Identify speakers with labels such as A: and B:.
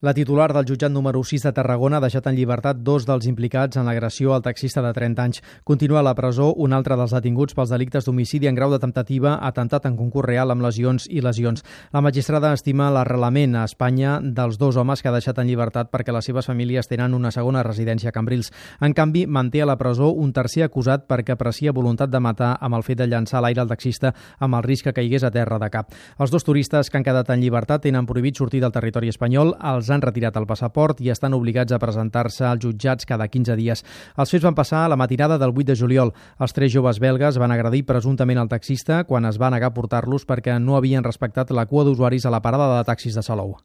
A: La titular del jutjat número 6 de Tarragona ha deixat en llibertat dos dels implicats en l'agressió al taxista de 30 anys. Continua a la presó un altre dels detinguts pels delictes d'homicidi en grau de temptativa, atemptat en concurs real amb lesions i lesions. La magistrada estima l'arrelament a Espanya dels dos homes que ha deixat en llibertat perquè les seves famílies tenen una segona residència a Cambrils. En canvi, manté a la presó un tercer acusat perquè aprecia voluntat de matar amb el fet de llançar a l'aire el taxista amb el risc que caigués a terra de cap. Els dos turistes que han quedat en llibertat tenen prohibit sortir del territori espanyol, els han retirat el passaport i estan obligats a presentar-se als jutjats cada 15 dies. Els fets van passar a la matinada del 8 de juliol. Els tres joves belgues van agredir presumptament el taxista quan es va negar a portar-los perquè no havien respectat la cua d'usuaris a la parada de taxis de Salou.